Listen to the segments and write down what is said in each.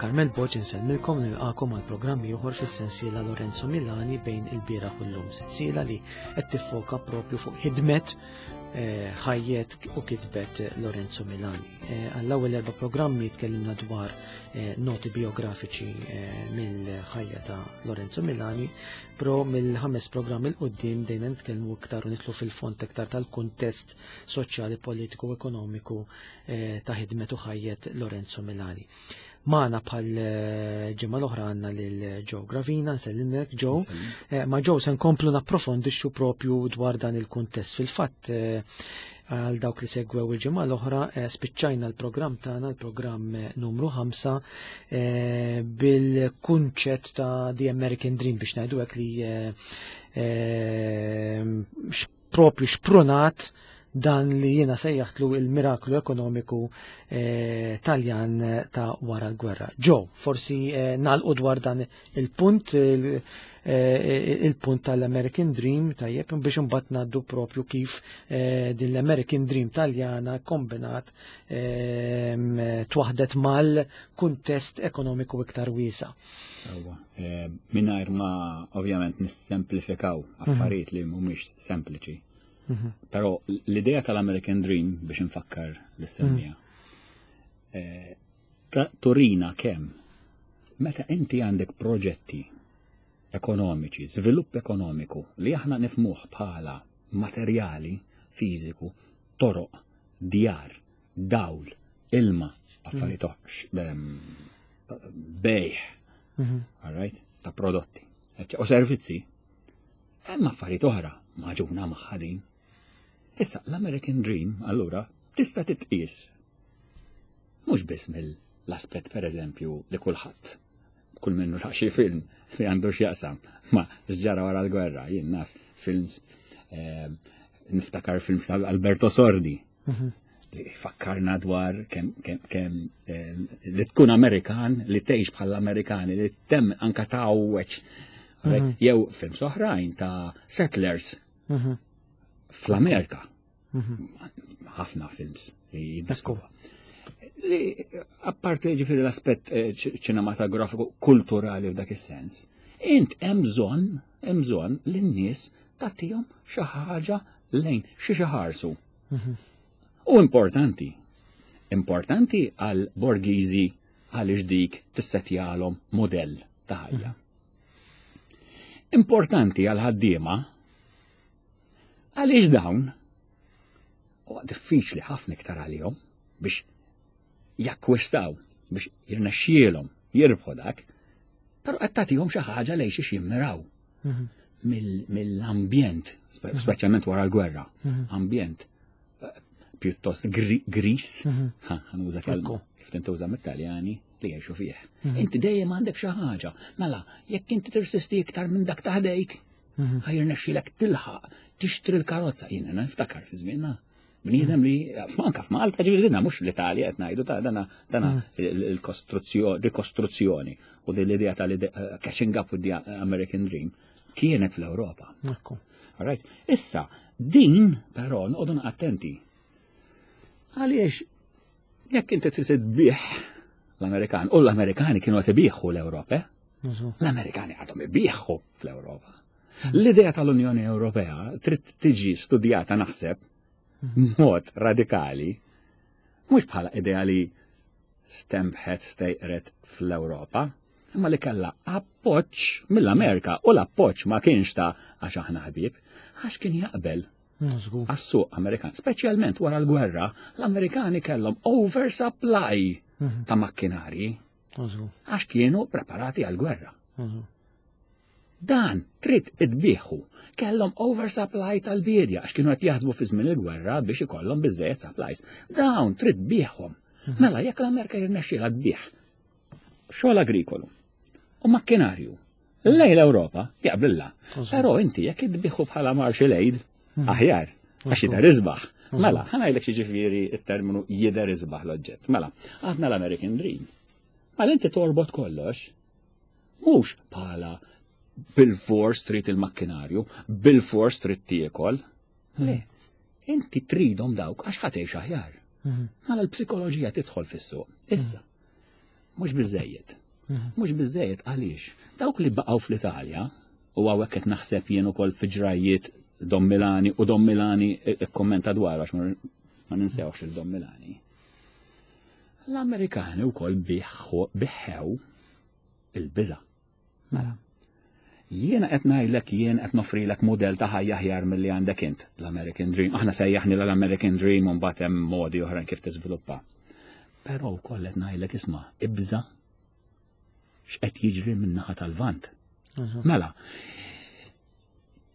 Carmel Borg insellmilkom nilqakom għal programm ieħor fis-sensiela Lorenzo Milani bejn il-bieraħ u llum. Sensiela li qed tiffoka propju fuq ħidmet eh, ħajjet u kitbet Lorenzo Milani. Eh, għall-ewwel erba' programmi tkellimna dwar eh, noti biografiċi mill-ħajja ta' Lorenzo Milani, pro mill-ħames programm il qudiem dejna nitkellmu iktar u nitlu fil-fond iktar tal-kuntest soċjali, politiku u ekonomiku eh, ta' ħidmet u ħajjet Lorenzo Milani. Maħna bħal eh, ġimgħa l-oħra għandna lil Joe Gravina, nsellimlek Joe. Eh, ma Joe se nkomplu napprofondixxu propju dwar dan il-kuntest. Fil-fatt għal dawk li segwew il-ġimgħa l-oħra spiċċajna l-programm tagħna, l-programm numru 5 bil-kunċett ta' The American Dream biex ngħidu hekk li propju xprunat dan li jiena sejjaħtlu il-miraklu ekonomiku eh, Taljan ta' wara l-gwerra. Ġo, forsi eh, nalqu dwar dan il-punt eh, il-punt tal-American Dream tajjeb biex imbagħad ngħaddu propju kif din l-American Dream Taljana kombinat twaħdet mal-kuntest ekonomiku iktar wiesa. Eh, mingħajr ma ovvjament nissemplifikaw mhm. affarijiet li mhumiex sempliċi. Mhm. Però l-idea tal-American Dream biex nfakkar l-semmija. Mhm. Eh, turina kemm meta inti għandek proġetti ekonomiċi, żvilupp ekonomiku li aħna nifmuh bħala materjali fiżiku, toroq, djar, dawl, ilma, affarijiet bejħ, mhm. all right, ta' prodotti u servizzi, hemm affarijiet oħra maġuna magħha din. Issa l-American Dream allura tista' titqies mhux biss mill-aspett pereżempju li kulħadd kull minnu ra xi film li għandu x'jaqsam ma x'ġara wara l-gwerra, jien naf films eh, niftakar films ta' Alberto Sordi. Mhm. Li fakkarna dwar kemm kem, eh, li tkun Amerikan, li tgħix bħal Amerikani, li tem anka tgħawweġ. Mhm. Jew films oħrajn ta' settlers mhm. fl-Amerika. Ħafna films li jiddiskru. Li apparti ġifieri l-aspett eh, ċinematografiku kulturali f'dak is-sens, int hemm bżonn hemm bżonn li n-nies tagħtihom xi ħaġa lejn xi xi ħarsu. Mhm. U importanti, importanti għal borgiżi għaliex dik tissetjalhom modell ta' ħajja. Mhm. Importanti għal ħaddiema għaliex dawn huwa diffiċli ħafna iktar għalihom biex jakkwistaw biex jirnexxielhom jirbħu dak, però qed tagħtihom xi ħaġa lejn xiex jimmiraw. Mhm. Mill-ambjent, mhm. speċjalment wara l-gwerra, mhm. ambjent eh, pjuttost gris, ħanuża kelma kif tintuża mit-Taljani li jgħixu fih. Inti dejjem għandek xi ħaġa. Mela, jekk inti tirsisti iktar minn dak taħdejk, ħajr nexxilek tilħaq tixtri l-karozza. Jiena niftakar fi żmienna Bniedem li, anka f'Malta ġifieri dinna mhux l-Italja qed ngħidu ta' dana dana mm. il-kostruzzjoni, rikostruzzjoni u din l-idea tal eh, catching up with the American Dream kienet fl-Ewropa. Right? Issa, din però noqogħdu attenti. Għaliex jekk inti trid tbih l-Amerikan u l-Amerikani kienu qed ibieħu l-Ewropa, eh? l-Amerikani għadhom ibieħu fl-Ewropa. L-idea tal-Unjoni Ewropea trid tiġi studjata naħseb mod radikali, mhux bħala idea li stembħet stejqret fl-Ewropa, imma li kellha appoġġ mill-Amerika u l-appoġġ ma kienx ta' għax aħna ħbieb, għax kien jaqbel għas-suq Amerikan, speċjalment wara l-gwerra, l-Amerikani kellhom oversupply mhm. ta' makkinarji għax kienu preparati għall-gwerra. Dan trid itbieħu. Kellhom oversupply tal-biedja għax kienu qed jaħsbu fi żmien il-gwerra biex ikollhom biżejjed supplies. Dawn trid tbieħhom. Mhm. Mela jekk l-Amerika jirnexxielha tbieħ xogħol agrikolu u makkinarju lejn l-Ewropa jaqblilha. Però inti jekk idbiħu bħala Marshall Aid mhm. aħjar għax jidher isbaħ. Mhm. Mela, ħanajlek xi ġifieri it-terminu jidher isbaħ l-oġġett. Mela, għadna l-American Dream. Mela inti torbot kollox Mhux bħala bil-fors trid il-makkinarju, bil-fors trid tiekol. Hmm. Le, inti tridhom dawk għax ħa tgħix aħjar. Hmm. Mela l-psikoloġija tidħol fis-suq. Issa, hmm. Mhux biżejjed. Mhux biżejjed għaliex dawk li baqgħu fl-Italja u hawnhekk qed naħseb jien ukoll fi ġrajjiet Don Milani u Don Milani ikkommenta dwar għax ma ninsewx il Don Milani. L-Amerikani wkoll biħħew il-biża'. Mela, jiena qed ngħidlek jien qed nofrilek mudell ta' ħajja aħjar milli għandek int, l-American Dream. Aħna sejjaħni l-American Dream u mbagħad hemm modi oħrajn kif tiżviluppa. Però wkoll qed ngħidlek isma' ibża x'qed jiġri min-naħa tal-Lvant. Mhm. Mela,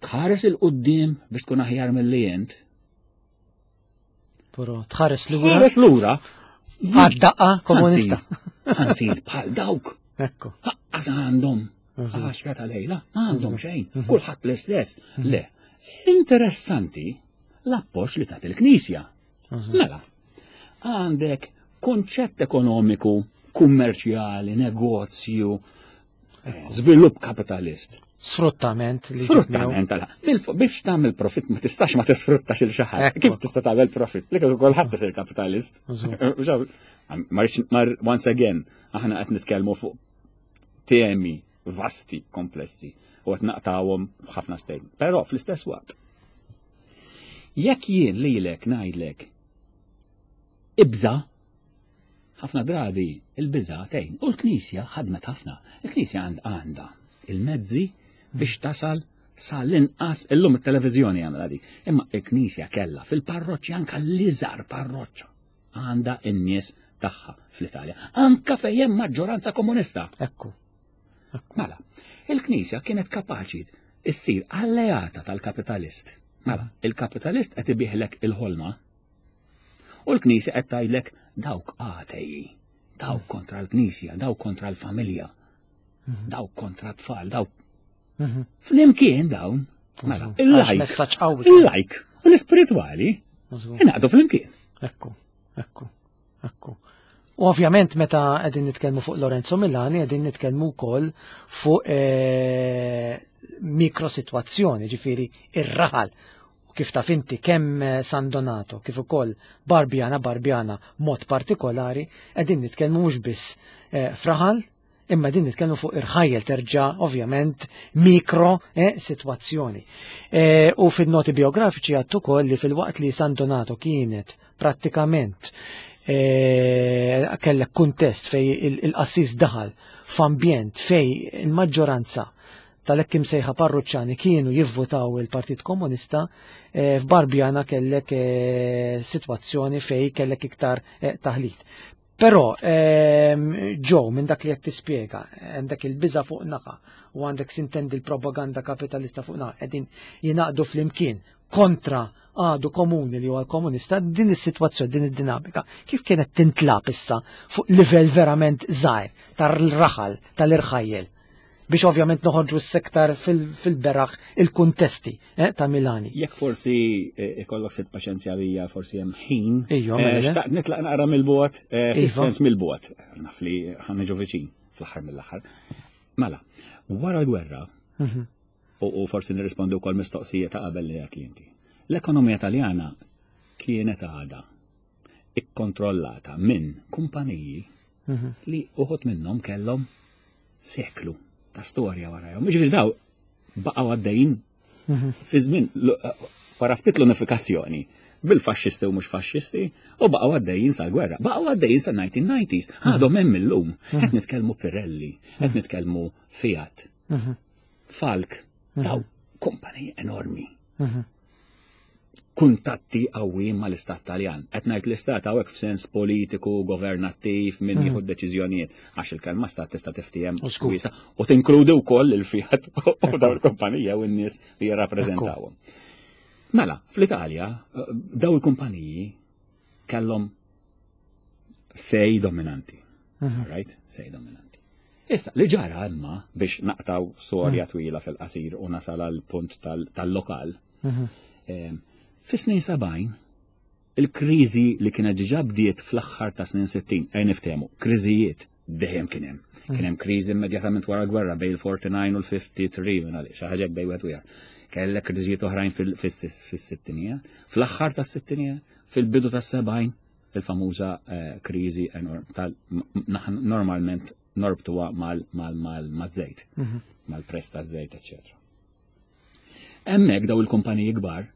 tħares il-qudiem biex tkun aħjar milli int. Però tħares lura. Tħares lura. Għad-daqqa komunista. Ħansir bħal dawk. Ekku. Għas għandhom. Għaxra ta' lejla, ma għandhom xejn. Mhm. Kulħadd l-istess. Mhm. Le. Interessanti l-appoġġ li tagħti l-Knisja. Mhm. Mela, għandek konċett ekonomiku, kummerċjali, negozju, Żvilupp kapitalist. Sfruttament. Sfruttament, għala. Biex tagħmel profit ma tistax ma tisfruttax il xi ħadd. Kif tista' tagħmel profit? Li kieku kulħadd isir kapitalist. Mar once again, aħna qed nitkellmu fuq temi vasti, komplessi, u qed naqtawhom ħafna statement. Però fl-istess waqt, jekk jien lilek ngħidlek ibża' Ħafna drabi il-biża' tgħin u l-Knisja ħadmet ħafna. Il-Knisja għandha il-mezzi biex tasal sal-inqas illum it-televiżjoni għamla dik. Imma il-Knisja kellha fil-parroċċi anka l-iżgħar parroċċa għandha n-nies tagħha fl-Italja. Anka fejn hemm maġġoranza komunista. Ekku. Mela, il-Knisja kienet kapaċi issir alleata tal-kapitalist. Mela, il-kapitalist qed ibiħlek il-ħolma U l-Knisja qed tgħidlek dawk atei, dawk kontra l-Knisja, dawk kontra l-familja, mhm. dawk kontra t-tfal, dawk. Mhm. Flimkien dawn, mela, mhm. il-lajk, il-lajk u l-ispiritwali ingħaqdu flimkien. Ekku, ekku, ekku. U ovvjament meta qegħdin nitkellmu fuq Lorenzo Milani qegħdin nitkellmu wkoll fuq eh, mikrositwazzjoni, ġifieri ir-raħal. U kif taf inti kemm eh, San Donato kif ukoll Barbiana Barbiana mod partikolari qegħdin nitkellmu mhux biss eh, fraħal imma din nitkellmu fuq irħajjel terġa' ovvjament mikro eh, sitwazzjoni. Eh, u fin-noti biografiċi għattu ukoll li fil-waqt li San Donato kienet prattikament eh, kellek kuntest fej il-qassis daħal f'ambjent fej il-maġġoranza tal-hekk imsejħa parruċċani kienu jivvutaw il-Partit Komunista, eh, f'Barbjana kellek eh, sitwazzjoni fej kellek iktar taħlit. Però, ehm, ġo, minn dak li qed tispjega, għandek il-biża fuq naħa u għandek sintendi l-propaganda kapitalista fuq naħa, qegħdin jingħaqdu flimkien kontra għadu komuni li huwa l-komunista, din is-sitwazzjoni, din id-dinamika, kif kienet tintlab issa fuq livell verament żgħir tar-raħal, tal-irħajjel? biex ovvjament noħorġu s-sektar fil-beraħ il-kuntesti eh, ta' Milani. Jekk forsi eh, ikollok fit paċenzja bija, forsi hemm ħin. Ejju, eh, mela. Xtaqt nitlaq naqra mill-bogħod, iva. fis-sens mill-bogħod, naf li ħanniġu viċin fl-aħħar mill-aħħar. Mela, wara l-gwerra, mhm. u forsi nirrispondu wkoll mistoqsija ta' qabel li għat li inti. L-ekonomija Taljana kienet għada ikkontrollata minn kumpaniji mhm. li uħut minnhom kellhom seklu ta' storja warajhom. Ġifieri daw baqgħu għaddejjin mhm. fi żmien wara ftit l-unifikazzjoni bil-faxxisti u mhux faxxisti u baqgħu għaddejjin sal-gwerra, baqgħu għaddejjin sa 1990s, mhm. għadhom hemm illum. Qed nitkellmu Pirelli, qed nitkellmu Fiat, Falk, daw kumpaniji enormi. Kuntatti qawwijin mal-Istat Taljan. Qed ngħid l-Istat hawnhekk f'sens politiku, governattiv, min mhm. jieħu deċiżjonijiet, għax il-kelma stat tista' tiftiehem wiesa u tinkludi wkoll il-Fiat u dawn il-kumpanija u n-nies li jirrappreżentawhom. Mela, fl-Italja eh, daw il-kumpaniji kellhom sej dominanti. Mhm. Right? Sej dominanti. Issa, li ġara imma biex naqtaw storja mhm. twila fil-qasir u nasal għal punt tal-lokal, mhm. Fis-snin 70, il-kriżi li kienet ġiġa bdiet fl-aħħar ta' snin 60, ejn niftehmu, kriżijiet dejjem kien hemm. Mhm. Kien hemm kriżi immedjatament wara gwerra bejn il-49 u l-53 minn għaliex, xi ħaġa bejn wieħed u ieħor. Kellek kriżijiet oħrajn fis-sittinijiet, fl-aħħar tas-sittinijiet, fil-bidu tas-70. il-famuża eh, kriżi tal normalment norbtuha mal-żejt, mhm. mal-prezz taż-żejt, eċċetera. Hemmhekk daw il-kumpaniji kbar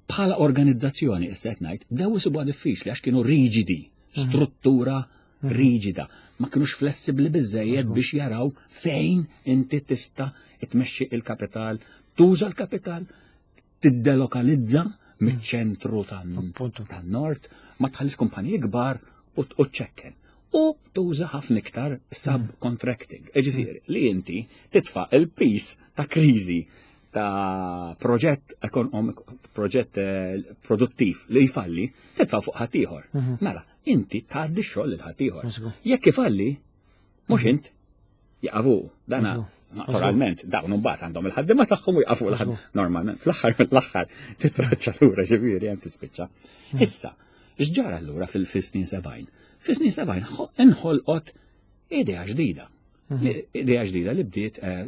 bħala organizzazzjoni issa qed ngħid bdew isibuha diffiċli għax kienu riġidi, mhm. struttura mhm. riġida, ma kienux flessibbli biżejjed biex jaraw fejn inti tista' tmexxi il-kapital, tuża l-kapital, tiddelokalizza miċ-ċentru tan-nord, ma tħallix kumpaniji kbar u ċekken. U tuża ħafna iktar subcontracting. Ġifieri, li inti titfa' il-pis ta' kriżi ta' proġett ekonomiku, proġett eh, produttiv li jfalli, titfa' fuq ħaddieħor. Mhm. Mela, inti tgħaddi x-xogħol lil ħaddieħor. Jekk ifalli, mhux mhm. int, jaqafu. Dana naturalment dawn imbagħad għandhom il-ħaddiema tagħhom u jaqafu l-ħadd normalment fl-aħħar mill-aħħar titraċċa lura ġifieri hemm tispiċċa. Mhm. Issa, x'ġara allura fil-snin 70? Fis-snin 70 inħolqot idea ġdida. Mhm. Idea ġdida li bdiet eh,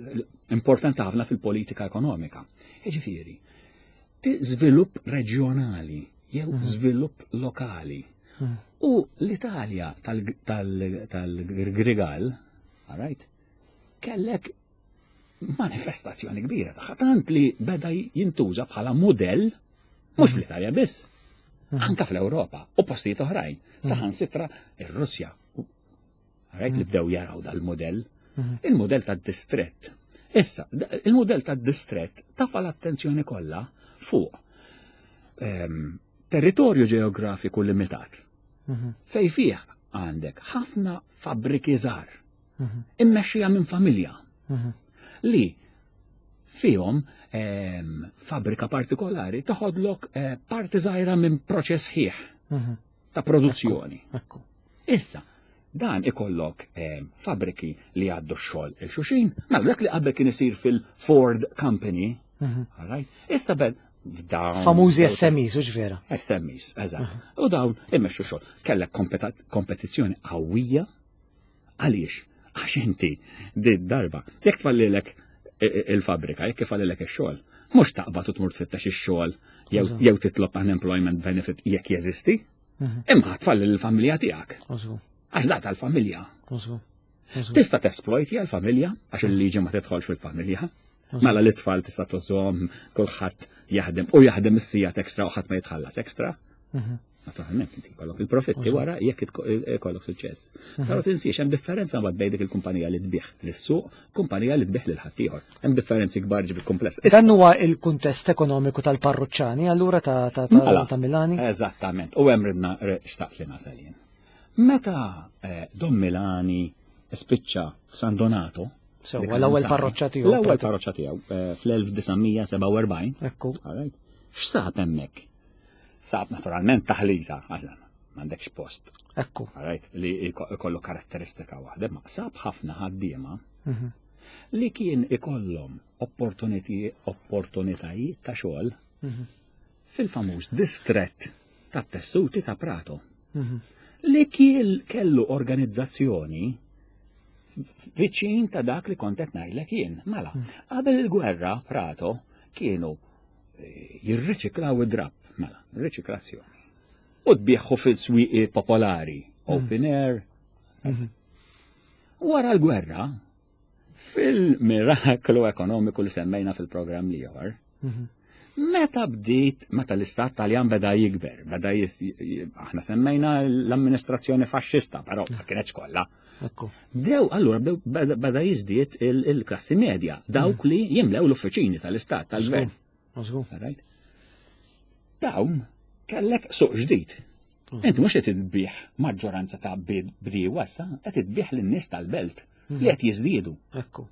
importanti ħafna fil-politika ekonomika. Jiġifieri, żvilupp reġjonali jew mhm. żvilupp lokali. Mhm. U l-Italja tal-Grigal, right, kellek manifestazzjoni kbira tagħha tant li beda jintuża bħala mudell mhux fl-Italja biss, anka fl-Ewropa u postijiet oħrajn, saħansitra ir-Russja Rajt li bdew jaraw dal-modell. Mhm. Il-modell tad-distrett. Issa, il-modell tad-distrett tafa l-attenzjoni kollha fuq ehm, territorju ġeografiku limitat. Mhm. Fej fih għandek ħafna fabbriki żgħar mhm. immexxija minn familja li fihom ehm, fabbrika partikolari toħodlok eh, parti żgħira minn proċess ħieħ ta' produzzjoni. Issa, dan ikollok eh, fabriki li għaddu x-xogħol il-xuxin, mela dak li qabel kien isir fil-Ford Company, mhm. right? Issa bed dawn. Famużi SMEs, u vera. SMEs, eżatt. Mhm. U dawn immexxu xogħol. Kellek kompetizzjoni qawwija għaliex? Għax inti di darba, jekk tfallilek il-fabrika, jekk ifallilek ix-xogħol, mhux taqbad u tmur tfittex ix-xogħol jew titlob unemployment benefit jekk jeżisti, mhm. imma tfalli l-familja tiegħek. Għax da tal-familja. Tista' tesplojti għal-familja għax il-liġi ma tidħolx fil-familja. Mela l-itfal tista' tużhom kulħadd jaħdem u jaħdem is-sijat ekstra u ħadd ma jitħallas ekstra. Mhm. Naturalment inti jkollok il-profitti wara jekk ikollok suċċess. Mhm. Però tinsiex hemm differenza mbagħad bejn dik il-kumpanija li tbih lis-suq, kumpanija li tbih lil ħaddieħor. Hemm differenzi kbar ġibi kumpless. Dan huwa il-kuntest ekonomiku tal-parruċċani allura ta' ta' mela, ta' Milani? Eżattament, u hemm ridna xtaqt li nasal jien. Meta eh, Don Milani spiċċa f'San Donato, Sewwa l-ewwel parroċċa tiegħu. L-ewwel parroċċa tiegħu eh, fl-1947. Ekku. X'sab hemmhekk? Sab naturalment taħlita, għax m'għandekx post. Ekku. Right, li ikollu karatteristika waħda, ma sab ħafna ħaddiema mhm. li kien ikollhom opportunitajiet ta' xogħol mhm. fil-famuż distrett ta' tessuti ta' Prato. Mhm. Li kien kellu organizzazzjoni viċin ta' dak li kont qed ngħidlek jien. Mela, qabel il-gwerra Prato kienu jirriċiklaw id-drapp, mela, riċiklazzjoni. U tbieħu fil-swieqi popolari, mm. open air. Mhm. Wara l-gwerra, fil-miraklu ekonomiku li semmejna fil-programm li ieħor, mhm. Meta bdiet, meta l-istat Taljan beda jikber, beda aħna semmejna l-amministrazzjoni faxxista, però ma kienx kollha. Bdew, allura bdew beda jiżdied il-klassi medja, dawk mm. li jimlew l-uffiċini tal-istat tal-gvern. Dawn kellek suq ġdid. Mm. Inti mhux qed tbih maġġoranza ta' bdiewa issa, qed tbih lin-nies tal-belt mm. li qed jiżdiedu. Ekku.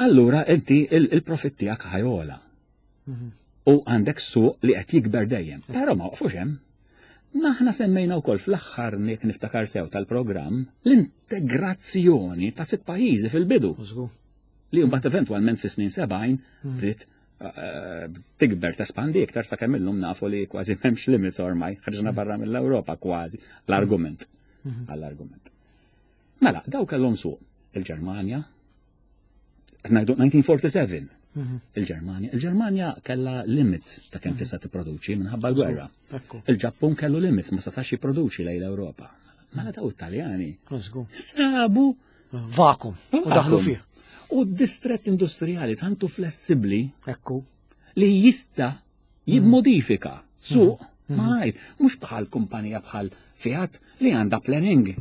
Allura inti il-profitt tiegħek ħajola. Mhm. U għandek suq li qed jikber dejjem. Però ma waqfux hemm. Naħna semmejna wkoll fl-aħħar nik niftakar sew tal-programm l-integrazzjoni ta' sitt pajjiżi fil-bidu. Li mbagħad eventwalment fis-snin 70 mhm. bdiet eh, tikber tespandi iktar sakemm illum nafu li kważi m'hemmx limits ormai, ħarġna mhm. barra mill-Ewropa kważi l-argument mhm. għall-argument. Mela, daw kellhom suq il-Ġermanja, ngħidu 1947. Il-Ġermanja. Il-Ġermanja kellha limits ta' kemm mhm. tista' tipproduċi minħabba l-gwerra. Il-Ġappun kellu limits ma setax jipproduċi lejn l-Ewropa. Mela daw it-Taljani. Sabu vakum u daħlu fih. U d-distret industrijali tantu flessibbli Ekku. li jista' jimmodifika suq mhm. malajr, mhux bħal kumpanija bħal Fiat li għandha planning.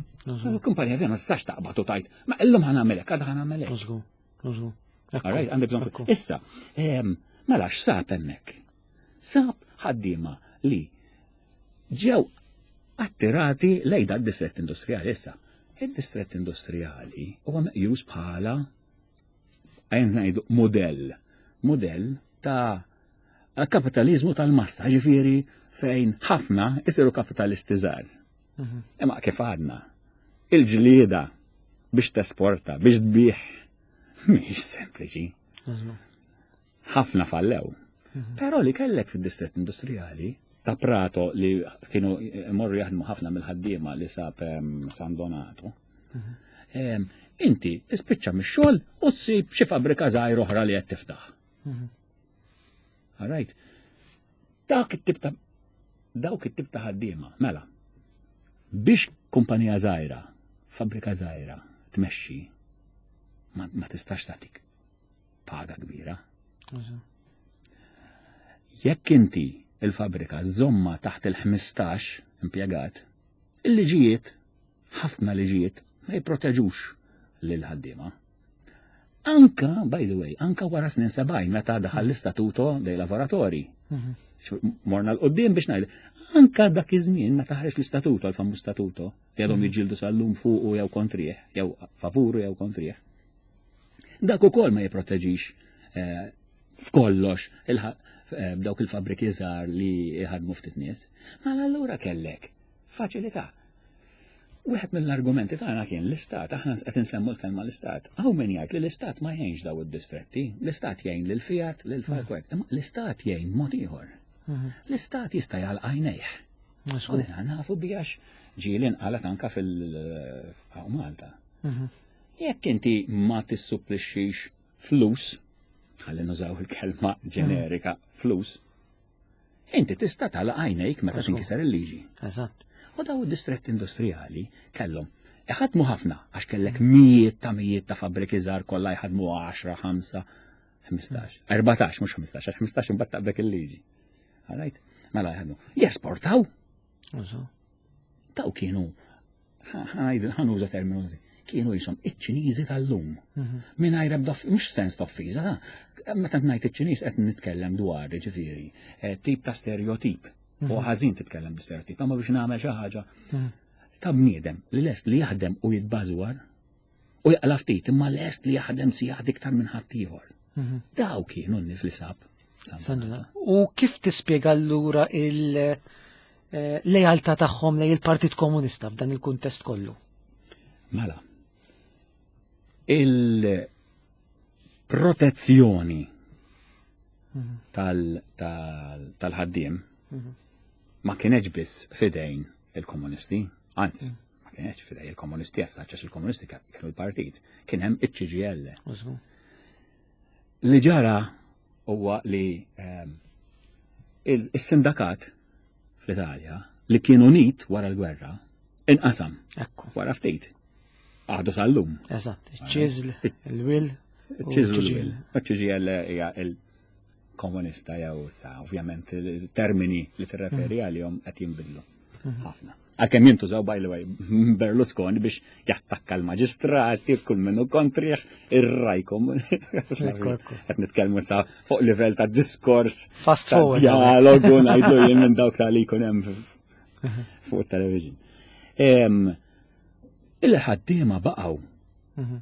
Kumpanija Fiat ma tistax taqbad u tajt, ma illum ħanagħmelek, għadha ħanagħmelek. Alright, għandek bżonn. Issa, mela x'sab hemmhekk? Sab ħaddiema li ġew attirati lejn dak distrett industrijali issa. Id-distrett industrijali huwa meqjus bħala għajn ngħidu modell, modell ta' kapitalizmu tal-massa, ġifieri fejn ħafna isiru kapitalisti żgħar. Mhm. Imma kif għadna, il-ġlieda biex tesporta, biex tbih, mhix sempliċi. Ħafna fallew. Mhm. Però li kellek fid-distrett industrijali ta' Prato li kienu morru jaħdmu ħafna mill-ħaddiema li sab San Donato. Mhm. Inti tispiċċa mix-xogħol u tsib xi fabbrika żgħir oħra li qed tiftaħ. Mhm. All right. Dak it-tip ta' dawk it-tip ta' ħaddiema, mela. Biex kumpanija żgħira, fabbrika żgħira tmexxi, ma, ma tistax tagħtik paga kbira. Jekk inti il-fabbrika żomma taħt il-15 impjegat, il-liġijiet, ħafna liġijiet ma jipproteġux lil ħaddiema. Anka, by the way, anka wara snin 70 meta daħal l-istatuto dei lavoratori. Mhm. Morna l-qoddim biex ngħid, anka dak iż-żmien meta ħareġ l-istatuto, l-famuż statuto, li għadhom mhm. jiġġieldu sal-lum fuqu jew kontrih, jew favuru jew kontrih. Dak ukoll ma jipproteġix eh, f'kollox eh, dawk il-fabriki żgħar li jħadmu ftit nies. Mela allura kellek faċilità. Wieħed mill-argumenti tagħna kien l-istat, aħna qed insemmu l-kelma l-istat. Hawn min jgħid li l-istat ma jgħinx daw id-distretti, l-istat jgħin lil Fiat, lil Falkwet, imma l-istat jgħin mod ieħor. Mhm. L-istat jista' jgħal għajnejh. U nafu bijax ġieli nqalet anka fil-Malta. Mhm. Jekk inti ma tissupplixxix flus, ħalli nużaw il-kelma ġenerika flus, Inti tista' tagħlaq għajnejk meta tinkiser il-liġi. Eżatt. U daw id-distretti industrijali kellhom iħadmu ħafna għax kellek mijiet ta' mijiet ta' fabbriki żgħar kollha jħadmu 10, 5, 15, 14 mhux 15, għax 15 imbagħad taqbek il-liġi. Alright? Mela jħadmu. Jesportaw. Daw kienu ħanuża terminu kienu jisom iċ-Ċiniżi tal-lum. Mhm. Mingħajr ebda mhux sens ta' offiża, meta ngħid iċ-Ċiniż qed nitkellem dwar ġifieri eh, tip ta' stereotip. U mhm. ħażin titkellem bi stereotip, imma biex nagħmel xi ħaġa mhm. ta' bniedem li lest li jaħdem u jitbażwar u jaqla ftit imma lest li jaħdem sigħat iktar minn ħaddieħor. Daw kienu n-nies li sab. U kif tispjega allura il- eh, lejaltà tagħhom lejn il-Partit Komunista f'dan il-kuntest kollu? Mela, il-protezzjoni mhm. tal-ħaddiem mhm. ma kienieċ biss fidejn il-komunisti, anzi, mhm. ma kienieċ fidejn il-komunisti għax il-komunisti kienu l-partit, kien hemm iċ-CGL. Li ġara huwa li ehm, il-sindakat fl-Italja li kien unit wara l-gwerra inqasam. Ekku. Wara ftit. Għadu sal-lum. Eżatt, iċ-ċiżl, il-wil. Iċ-ċiżl il-wil. Iċ-ċiżl hija il-komunista jew sa, ovvjament il-termini li tirreferi mm. għalihom qed jinbidlu mm. ħafna. Għalkemm jintużaw by the way Berlusconi biex jattakka l-maġistrati, kull minnu kontriħ, ir-rajkom. Qed nitkellmu sa fuq livell ta' diskors. Fast forward. Dialogu ngħidlu jien minn dawk ta' li jkun hemm fuq it-television. Il-ħaddiema baqgħu. Mhm.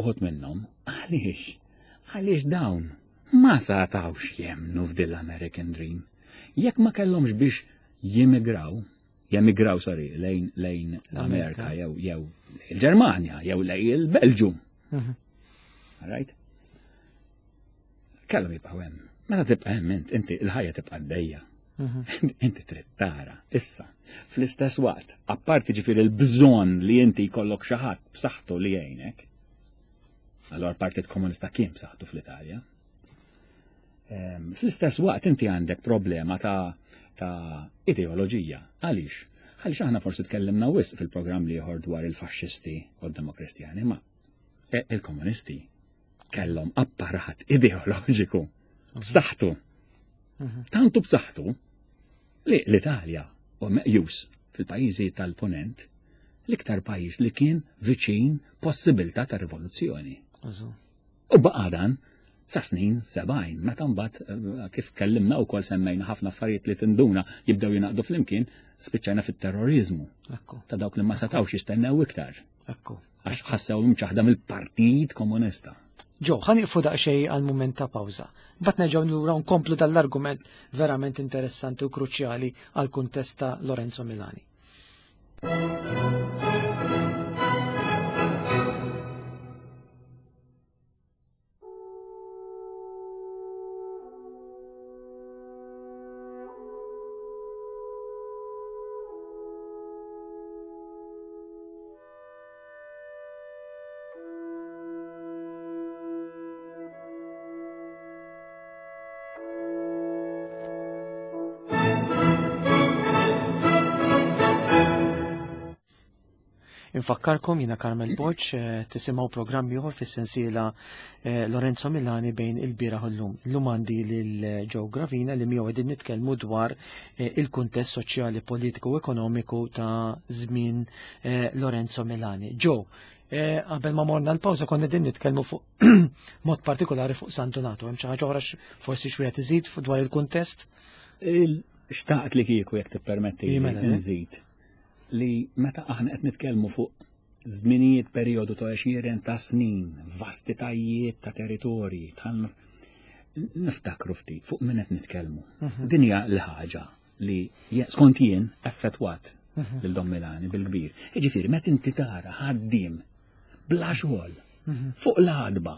Uħud minnhom għaliex? Għaliex dawn ma satawx jemnu f'dil American Dream. Jekk ma kellhomx biex jimigraw, jemigraw sorry, lejn lejn l-Amerika jew jew il-Ġermanja jew lejn il-Belġu. Mhm. Right? Kellhom jibqgħu hemm. Meta tibqa' hemm int, inti il-ħajja tibqa' għaddejja. Mhm. Inti trid tara. Issa, fl-istess waqt, apparti ġifieri l-bżonn li inti jkollok xi ħadd b'saħħtu li jgħinek, allora l-Partit Komunista kien b'saħħtu fl-Italja. Fl-istess waqt inti għandek problema ta' ta' ideoloġija. Għaliex? Għaliex aħna forsi tkellimna wisq fil-programm liħor dwar il-faxxisti u d-demokristjani, ma e, il-komunisti kellhom apparat ideoloġiku b'saħħtu. Mhm. Tantu b'saħħtu li l-Italja u meqjus fil-pajjiżi tal-Ponent l-iktar pajjiż li kien viċin possibilità ta' rivoluzzjoni. U baqa' dan sa snin 70, meta mbagħad eh, kif kellimna wkoll semmejna ħafna affarijiet li tinduna jibdew jingħaqdu flimkien, spiċċajna fit-terrorizmu. Ta' dawk li ma setgħux jistennew iktar. Għax ħassew imċaħda mill-Partit Komunista. Ġo, ħa nieqfu daqsxejn għal mument ta' pawża. Mbagħad nerġgħu lura nkomplu dal-argument verament interessanti u kruċjali għal kuntest ta' Lorenzo Milani. Infakkarkom jiena Carmel Borg eh, tisimgħu programm ieħor fis-sensiela eh, Lorenzo Milani bejn il-bieraħ u llum. Illum għandi lil eh, Joe Gravina li miegħu qegħdin nitkellmu dwar il-kuntest soċjali, politiku u ekonomiku ta' żmien Lorenzo Milani. Joe, qabel ma morna l-pawża konna qegħdin nitkellmu fuq mod partikolari fuq San Donato. Hemm xi ħaġa oħra forsi xi iżid dwar il-kuntest? Xtaqt li kieku jekk tippermetti mela, nżid li meta aħna qed nitkellmu fuq żminijiet perjodu ta' għexieren ta' snin, vastitajiet ta' territorji, niftakru ftit fuq min qed nitkellmu. Mhm. Din hija l-ħaġa li skont jien effettwat mhm. lil Don Milani bil-kbir. Jiġifieri meta inti tara ħaddiem bla xogħol mhm. fuq l-għadba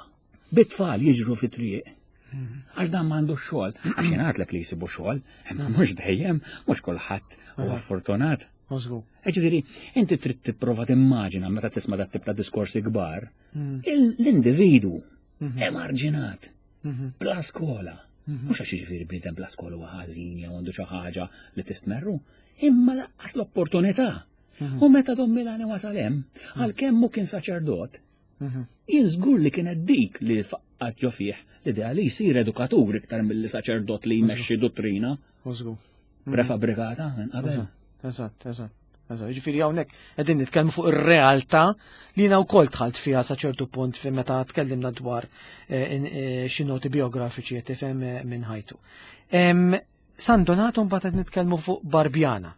bit-tfal jiġru fit-triq Għax dan m'għandu xogħol, għax jingħadlek li jsibu xogħol, imma mhux dejjem, mhux kulħadd huwa fortunat. Ġifieri, inti trid tipprova timmaġina meta tisma' dat tip ta' diskorsi kbar, mm. l-individwu mhm. emarġinat, mhm. bla skola. Mhm. Mhux għax jiġifieri bniedem bla skola huwa ħażin jew għandu xi ħaġa li tistmerru, imma laqqas l-opportunità. U meta Don Milani wasal hemm, għalkemm hu kien saċerdot, Mhm. Jien żgur li kienet dik li faqqat ġo fih l-idea li jsir edukatur iktar milli saċerdot li jmexxi dottrina. Mhm. Prefabrikata minn qabel. Eżatt, eżatt. Eżatt, ġifieri hawnhekk qegħdin nitkellmu fuq ir-realtà li jiena wkoll dħalt fiha sa ċertu punt fi meta tkellimna dwar eh, eh, xi noti biografiċi qed tifhem eh, minn ħajtu. San Donato mbagħad qed nitkellmu fuq Barbjana,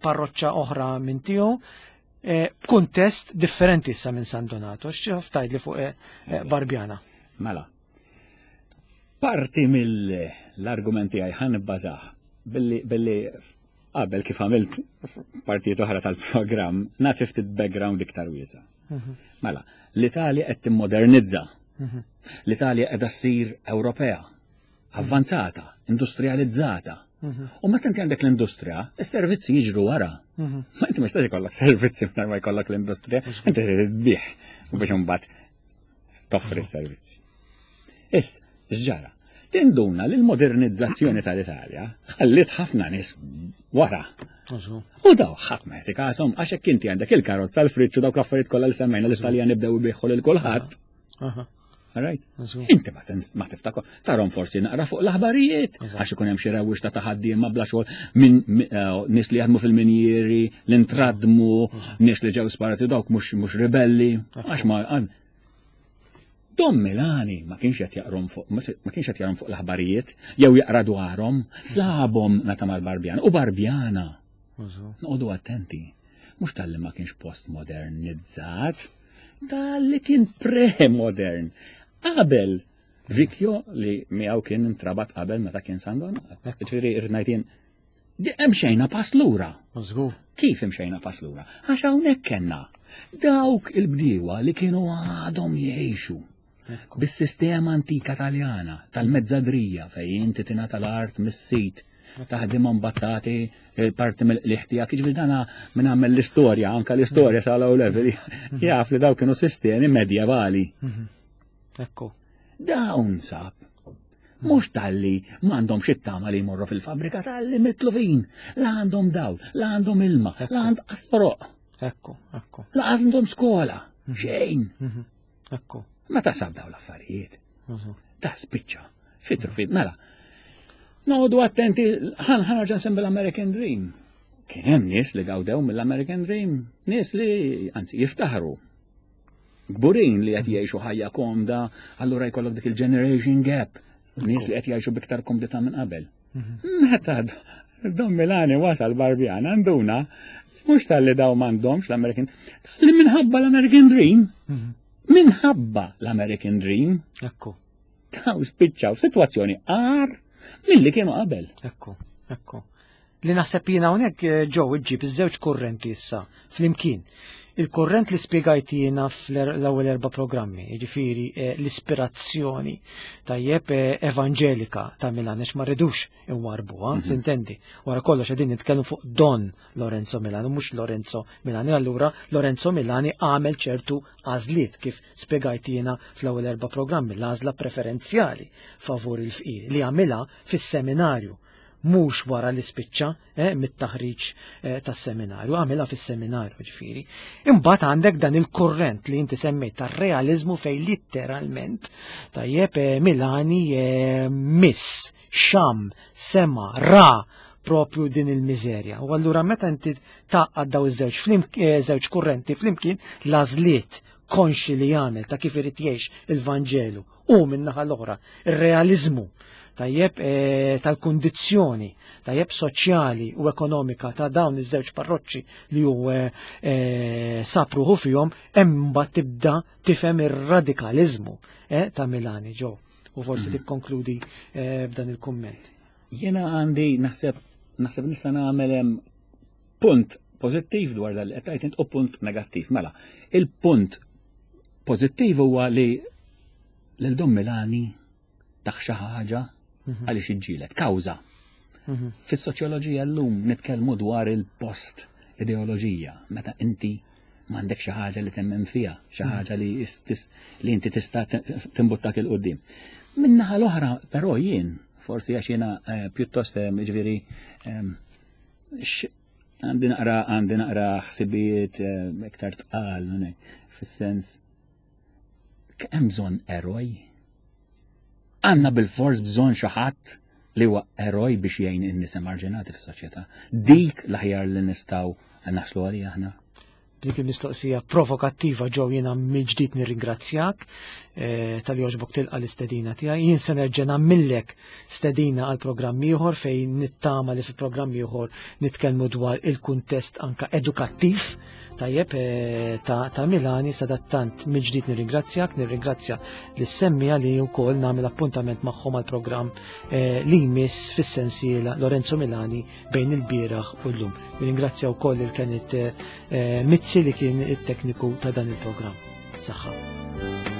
parroċċa oħra minn tiegħu, eh, b'kuntest differenti issa minn San Donato, x'taf tgħidli fuq eh, eh, Barbjana. Mela. Parti mill-argumenti għaj ħan bbażah billi billi qabel kif għamilt partijiet oħra tal-programm, nagħti ftit background iktar wiesa. Mhm. Mela, l-Italja qed timmodernizza. Mhm. L-Italja qiegħda ssir Ewropea. avvanzata, industrializzata. Mhm. U meta inti għandek l-industrija, is-servizzi jiġru wara. Mhm. Ma inti ma jistax ikollok servizzi mingħajr ma jkollok l-industrija, inti trid tbih u biex imbagħad toffri s-servizzi. Is, x'ġara? Tinduna li l-modernizzazzjoni tal-Italja ħallit ħafna nies wara. U daw ħadd ma jagħti kasom għax hekk inti għandek il-karozza l-friċċu dawk l-affarijiet kollha li semmejna l-Italjan ibdew ibiħħu lil kulħadd. Right? Inti ma tiftakar, tarom forsi naqra fuq l-aħbarijiet, għax ikun hemm xi rewwix ta' ħaddiema bla xogħol minn eh, nies li jaħdmu fil-minjieri, li ntradmu, nies li ġew sparati dawk mhux ribelli, għax ma Dom Milani ma kienx qed jaqrom fuq ma kienx qed jaqrom fuq l-aħbarijiet jew jaqra dwarhom, sabhom meta mal-Barbjana u Barbjana. Noqogħdu attenti. Mhux talli ma kienx postmodernizzat, Tal-li kien pre-modern. Qabel Vikjo li miegħu kien intrabat qabel meta kien San Donat. Ġifieri irrid jien imxejna pass lura. Kif imxejna pass lura? Għax hawnhekk kellna dawk il-bdiewa li kienu għadhom jgħixu bis-sistema antika taljana tal-mezzadrija fejn inti tingħata l-art mis-sit taħdimhom mbattati eh, parti mill-qliħ tiegħek, jiġifieri dana minn għamel l-istorja, anka l-istorja sa low level, mhm. jaf li daw kienu sistemi medjevali. Mhm. Ekku. Dawn sab. Mhux talli m'għandhomx it-tama li jmorru fil-fabbrika talli mitlufin, la għandhom dawl, la għandhom ilma, la għandhom astoroq. Ekku, ekku. La għandhom skola, mhm. xejn. Mhm. Ekku. Meta sab daw l-affarijiet. Mhm. Ta' spiċċa, fitru fit, mela. Noqogħdu attenti, ħan ħan nsemmi l-American Dream. Kien hemm nies li gawdew mill-American Dream, nies li anzi jiftaħru Kburin li qed jgħixu ħajja komda, allura jkollok dik il-generation gap, nies li qed jgħixu biktar komdità minn qabel. Mhm. Meta Don Milani wasal Barbjan għanduna, mhux tal-li daw m'għandhomx l-American, tal-li minħabba l-American Dream, mhm. minħabba l-American Dream. Ekku. Daw spiċċaw f'sitwazzjoni għar milli kienu qabel. Ekku, ekku. Li naħseb jiena hawnhekk eh, ġew iġġib iż-żewġ kurrenti issa flimkien. Il-kurrent li spjegajt jiena fl-ewwel erba' programmi, jiġifieri eh, l-ispirazzjoni tajjeb eh, evanġelika ta' Milan għax ma rridux inwarbuha, mhm. sintendi. Wara kollox qegħdin nitkellmu fuq Don Lorenzo Milani, mhux Lorenzo Milani. Allura Lorenzo Milani għamel ċertu għażliet kif spjegajt jiena fl-ewwel erba' programmi, l-għażla preferenzjali favur il-fqir li għamilha fis-seminarju mhux wara li spiċċa eh, mit-taħriġ eh, tas-seminarju, għamilha fis-seminarju ġifieri. Imbagħad għandek dan il-kurrent li inti semmejt tar-realiżmu fejn litteralment tajjeb eh, Milani eh, miss, xam, sema, ra propju din il-miżerja. U allura meta inti taqgħad daw iż-żewġ eh, żewġ kurrenti flimkien l-għażliet konxi li jagħmel ta' kif irid jgħix il-Vanġelu u min-naħa l-oħra ir-realiżmu tajjeb eh, tal-kundizzjoni tajjeb soċjali u ekonomika ta' dawn iż-żewġ parroċċi li hu eh, eh, sab ruħu fihom hemm mbagħad tibda tifhem ir-radikaliżmu ta' Milani ġew u forsi mm. tikkonkludi b'dan il-kumment. Jiena għandi naħseb naħseb nista' nagħmel hemm punt pożittiv dwar dal qed tgħid u punt negattiv. Mela, il-punt pożittiv huwa li lil Dom Milani taħ xi ħaġa mhm. għaliex iġġielet kawża. Mhm. Fis-soċjoloġija llum nitkellmu dwar il-post ideoloġija meta inti m'għandek xi ħaġa li temmen fiha, xi mhm. ħaġa li li inti tista' timbuttak il qudiem Min-naħa l-oħra, però jien, forsi għax jiena eh, pjuttost eh, ġifieri eh, għandi naqra għandi naqra ħsibijiet iktar tqal fis-sens Hemm bżonn eroj? Għandna bil-fors bżonn xi ħadd li huwa eroj biex jgħin in-nies emarġinati fis-soċjetà. Dik l-aħjar li nistgħu naħslu għalija aħna. Dik il-mistoqsija provokattiva ġew jiena mill-ġdid nirringrazzjak eh, tal joġbok tilqa l-istedina tiegħi. Jien se nerġa' nagħmillek stedina għal programm ieħor fejn nittama li fi programm ieħor nitkellmu dwar il-kuntest anka edukattiv Tajjeb, eh, ta', ta Milani sadattant mill-ġdid nirringrazzjak, nirringrazzja lis semmija li wkoll nagħmel appuntament magħhom għal programm eh, li jmiss fis-sensiela Lorenzo Milani bejn il-bieraħ u llum. Nirringrazzja wkoll il-Kenneth eh, Mizzi li kien it-tekniku ta' dan il-programm. Saħħa.